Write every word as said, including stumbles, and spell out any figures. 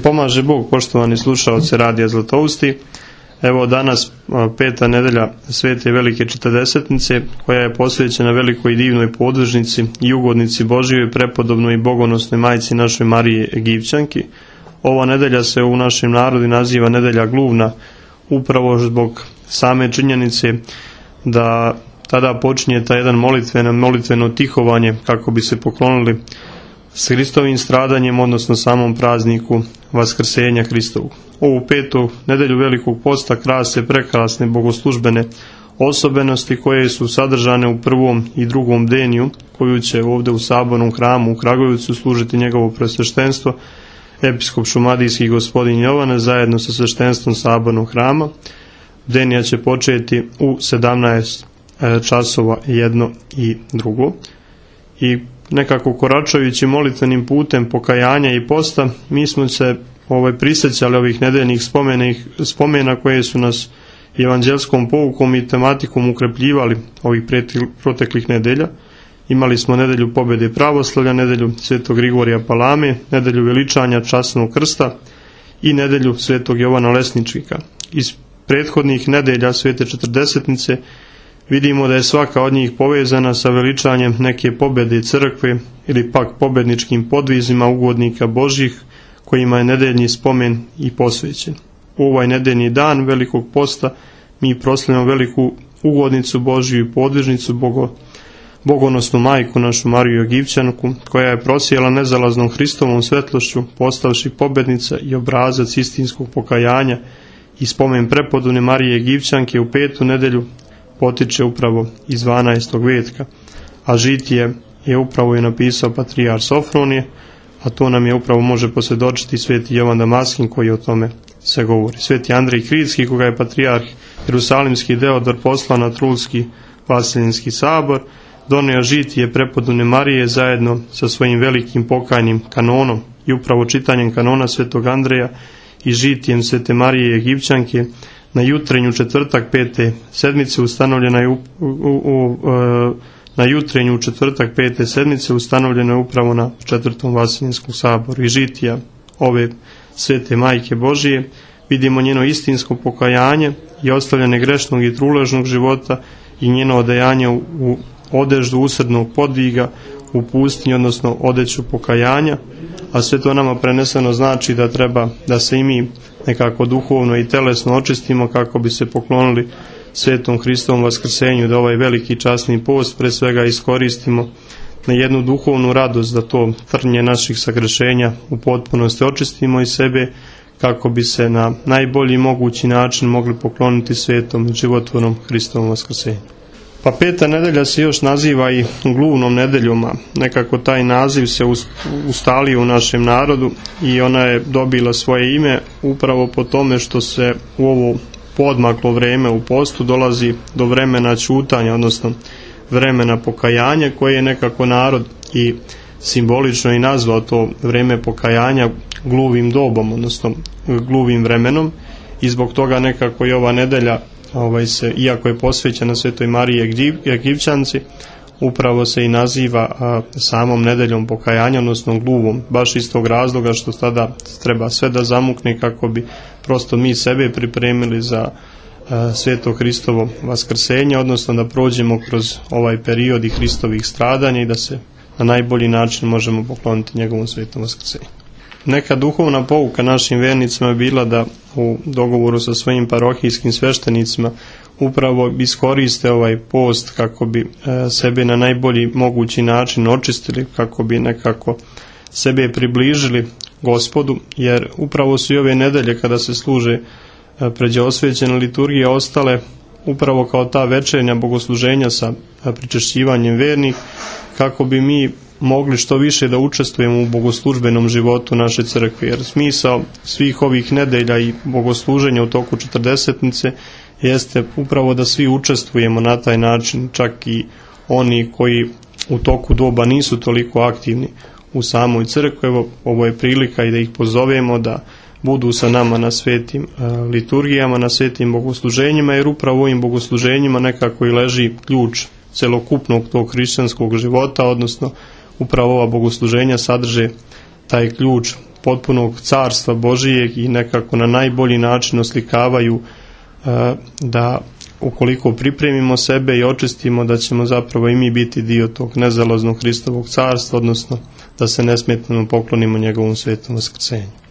pomaže Bog, poštovani slušaoci Radija Zlatousti. Evo danas peta nedelja Svete Velike Četrdesetnice, koja je posvećena velikoj i divnoj podvižnici i ugodnici Božijoj, prepodobnoj i bogonosnoj majci našoj Mariji Egipćanki. Ova nedelja se u našem narodu naziva nedelja gluvna, upravo zbog same činjenice da tada počinje taj jedan molitveno, molitveno tihovanje kako bi se poklonili s Hristovim stradanjem, odnosno samom prazniku Vaskrsenja Hristovog. Ovu petu nedelju Velikog posta krase prekrasne bogoslužbene osobenosti koje su sadržane u prvom i drugom deniju, koju će ovdje u Sabornom hramu u Kragujevcu služiti njegovo presveštenstvo, episkop šumadijski gospodin Jovane, zajedno sa sveštenstvom Sabornog hrama. Denija će početi u sedamnaest časova jedno i drugo. I nekako koračajući molitvenim putem pokajanja i posta, mi smo se ovaj, prisjećali ovih nedeljnih spomena koje su nas evanđelskom poukom i tematikom ukrepljivali ovih proteklih nedelja. Imali smo nedelju pobjede pravoslavlja, nedelju Svetog Grigorija Palame, nedelju veličanja časnog krsta i nedelju Svetog Jovana Lesničnika. Iz prethodnih nedelja Svete Četrdesetnice vidimo da je svaka od njih povezana sa veličanjem neke pobjede crkve ili pak pobjedničkim podvizima ugodnika Božjih kojima je nedeljni spomen i posvećen. U ovaj nedeljni dan Velikog posta mi proslavljamo veliku ugodnicu Božju i podvižnicu Bogo, bogonosnu majku našu Mariju Egipćanku, koja je prosijela nezalaznom Hristovom svetlošću, postavši pobjednica i obrazac istinskog pokajanja, i spomen prepodobne Marije Egipćanke u petu nedelju potiče upravo iz dvanaestog vetka, a žitije je upravo je napisao patrijar Sofronije, a to nam je upravo može posvjedočiti sveti Jovan Damaskin koji o tome se govori. Sveti Andrej Kritski, koga je patrijarh Jerusalimski Deodor poslao na Trulski Vaseljenski sabor, donio žitije prepodobne Marije zajedno sa svojim velikim pokajnim kanonom, i upravo čitanjem kanona svetog Andreja i žitijem Svete Marije Egipćanke na jutrenju četvrtak pete sedmice ustanovljena je u, u, u, na jutrenju četvrtak pete sedmice ustanovljena je upravo na četvrtom Vaseljenskom saboru. I žitija ove Svete Majke Božije vidimo njeno istinsko pokajanje i ostavljanje grešnog i truležnog života i njeno odajanje u, u odeždu usrdnog podviga u pustinji, odnosno odeću pokajanja, a sve to nama preneseno znači da treba da se i mi nekako duhovno i telesno očistimo kako bi se poklonili Svetom Hristovom vaskrsenju, da ovaj veliki časni post pre svega iskoristimo na jednu duhovnu radost, da to trnje naših sagrešenja u potpunosti očistimo iz sebe kako bi se na najbolji mogući način mogli pokloniti svetom životvornom Hristovom vaskrsenju. Pa peta nedelja se još naziva i gluvnom nedeljom, a nekako taj naziv se ustalio u našem narodu i ona je dobila svoje ime upravo po tome što se u ovo podmaklo vreme u postu dolazi do vremena ćutanja, odnosno vremena pokajanja, koje je nekako narod i simbolično i nazvao to vreme pokajanja gluvim dobom, odnosno gluvim vremenom, i zbog toga nekako i ova nedelja Ovaj se, iako je posvećena Svetoj Mariji Egipćanci, upravo se i naziva a, samom nedeljom pokajanja, odnosno gluvom, baš iz tog razloga što tada treba sve da zamukne kako bi prosto mi sebe pripremili za a, Sveto Hristovo vaskrsenje, odnosno da prođemo kroz ovaj period i Hristovih stradanja i da se na najbolji način možemo pokloniti njegovom svetom vaskrsenju. Neka duhovna pouka našim vernicima je bila da u dogovoru sa svojim parohijskim sveštenicima upravo iskoriste ovaj post kako bi e, sebe na najbolji mogući način očistili, kako bi nekako sebe približili Gospodu, jer upravo su i ove nedelje kada se služe e, pređe osvećene liturgije ostale upravo kao ta večernja bogosluženja sa pričešćivanjem vernih, kako bi mi mogli što više da učestvujemo u bogoslužbenom životu naše crkve, jer smisao svih ovih nedelja i bogosluženja u toku četrdesetnice jeste upravo da svi učestvujemo na taj način, čak i oni koji u toku doba nisu toliko aktivni u samoj crkvi. Evo, ovo je prilika i da ih pozovemo da budu sa nama na svetim uh, liturgijama, na svetim bogosluženjima, jer upravo u ovim bogosluženjima nekako i leži ključ celokupnog tog hrišćanskog života, odnosno upravo ova bogosluženja sadrže taj ključ potpunog carstva Božijeg i nekako na najbolji način oslikavaju da ukoliko pripremimo sebe i očistimo, da ćemo zapravo i mi biti dio tog nezalaznog Hristovog carstva, odnosno da se nesmetno poklonimo njegovom svetom vaskrsenju.